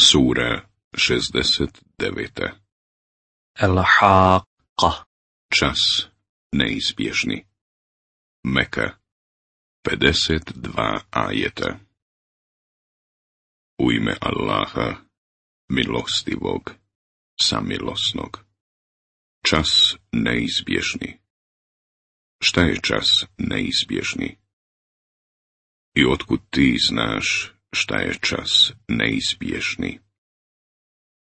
Sura 69. El-Haqqa. Čas neizbježni. Meka 52 ajeta. U ime Allaha, milostivog, samilosnog. Čas neizbježni. Šta je čas neizbježni? I otkud ti znaš šta je čas neizbježni?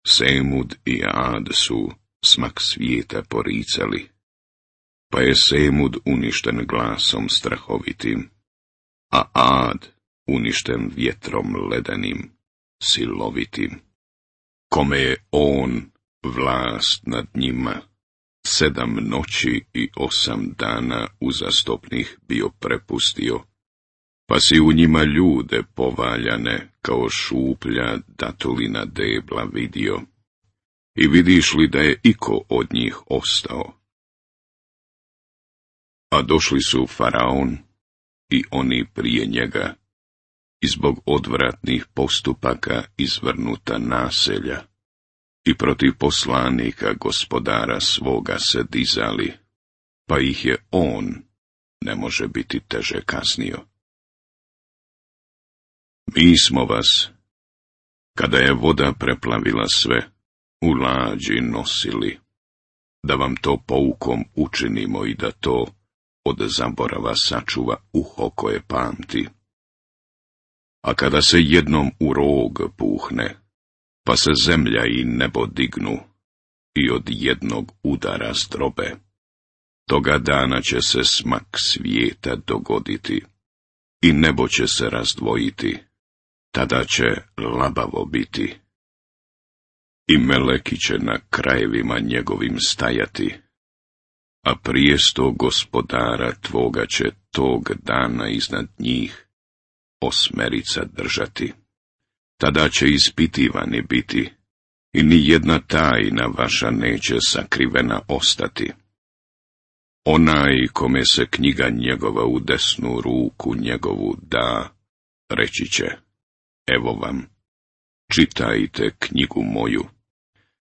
Semud i Ad su smak svijeta poricali, pa je Semud uništen glasom strahovitim, a Ad uništen vjetrom ledenim, silovitim. Kome je on vlast nad njima 7 noći i 8 dana uzastopnih bio prepustio, pa si u njima ljude povaljane kao šuplja datulina debla vidio. I vidiš li da je iko od njih ostao? A došli su Faraon i oni prije njega, i zbog odvratnih postupaka izvrnuta naselja, i protiv poslanika gospodara svoga se dizali, pa ih je on ne može biti teže kaznio. Mi smo vas, kada je voda preplavila sve, u lađi nosili, da vam to poukom učinimo i da to od zaborava sačuva uho koje pamti. A kada se jednom u rog puhne, pa se zemlja i nebo dignu i od jednog udara zdrobe, toga dana će se smak svijeta dogoditi i nebo će se razdvojiti, tada će labavo biti. I meleki će na krajevima njegovim stajati, a prijesto gospodara tvoga će tog dana iznad njih 8 držati. Tada će ispitivani biti, i ni jedna tajna vaša neće sakrivena ostati. Onaj kome se knjiga njegova u desnu ruku njegovu da, reći će: evo vam, čitajte knjigu moju.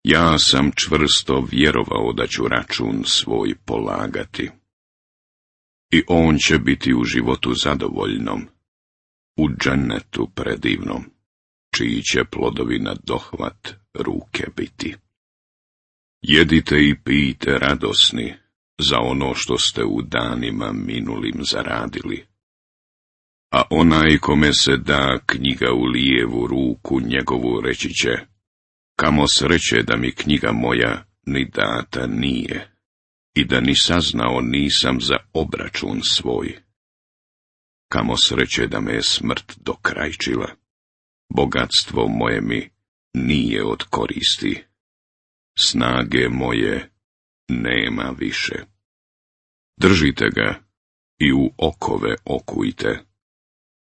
Ja sam čvrsto vjerovao da ću račun svoj polagati. I on će biti u životu zadovoljnom, u džennetu predivnom, čiji će plodovi na dohvat ruke biti. Jedite i pijte radosni za ono što ste u danima minulim zaradili. A onaj kome se da knjiga u lijevu ruku njegovu reći će: kamo sreće da mi knjiga moja ni data nije, i da ni saznao nisam za obračun svoj. Kamo sreće da me je smrt dokrajčila, bogatstvo moje mi nije od koristi, snage moje nema više. Držite ga i u okove okujte,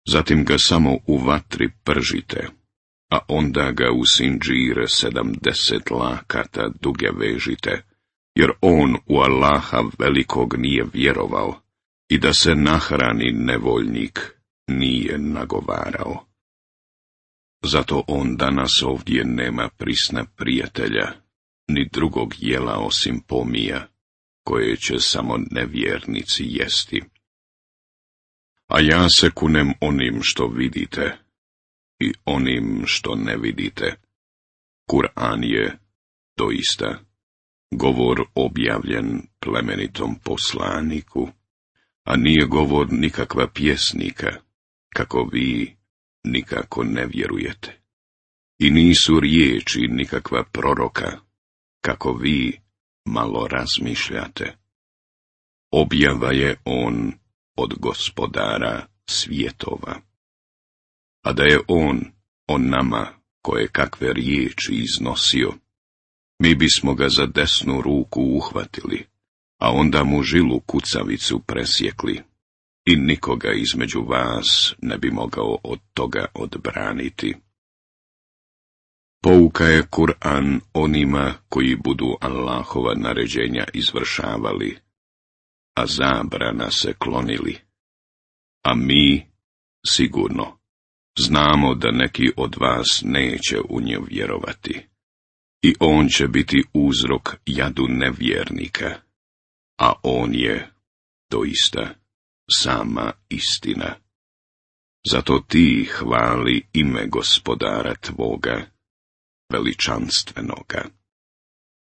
zatim ga samo u vatri pržite, a onda ga u sinđire 70 lakata duge vežite, jer on u Allaha velikog nije vjerovao i da se nahrani nevoljnik nije nagovarao. Zato on danas ovdje nema prisna prijatelja, ni drugog jela osim pomija, koje će samo nevjernici jesti. A ja se kunem onim što vidite i onim što ne vidite. Kur'an je doista govor objavljen plemenitom poslaniku, a nije govor nikakva pjesnika, kako vi nikako ne vjerujete. I nisu riječi nikakva proroka, kako vi malo razmišljate. Objava je on od gospodara svjetova. A da je on nama koje kakve riječi iznosio, mi bismo ga za desnu ruku uhvatili, a onda mu žilu kucavicu presjekli, i nikoga između vas ne bi mogao od toga odbraniti. Pouka je Kur'an onima koji budu Allahova naređenja izvršavali, a zabrana se klonili. A mi, sigurno, Znamo da neki od vas neće u nju vjerovati, i on će biti uzrok jadu nevjernika, a on je, doista, sama istina. Zato ti hvali ime Gospodara tvoga, veličanstvenoga.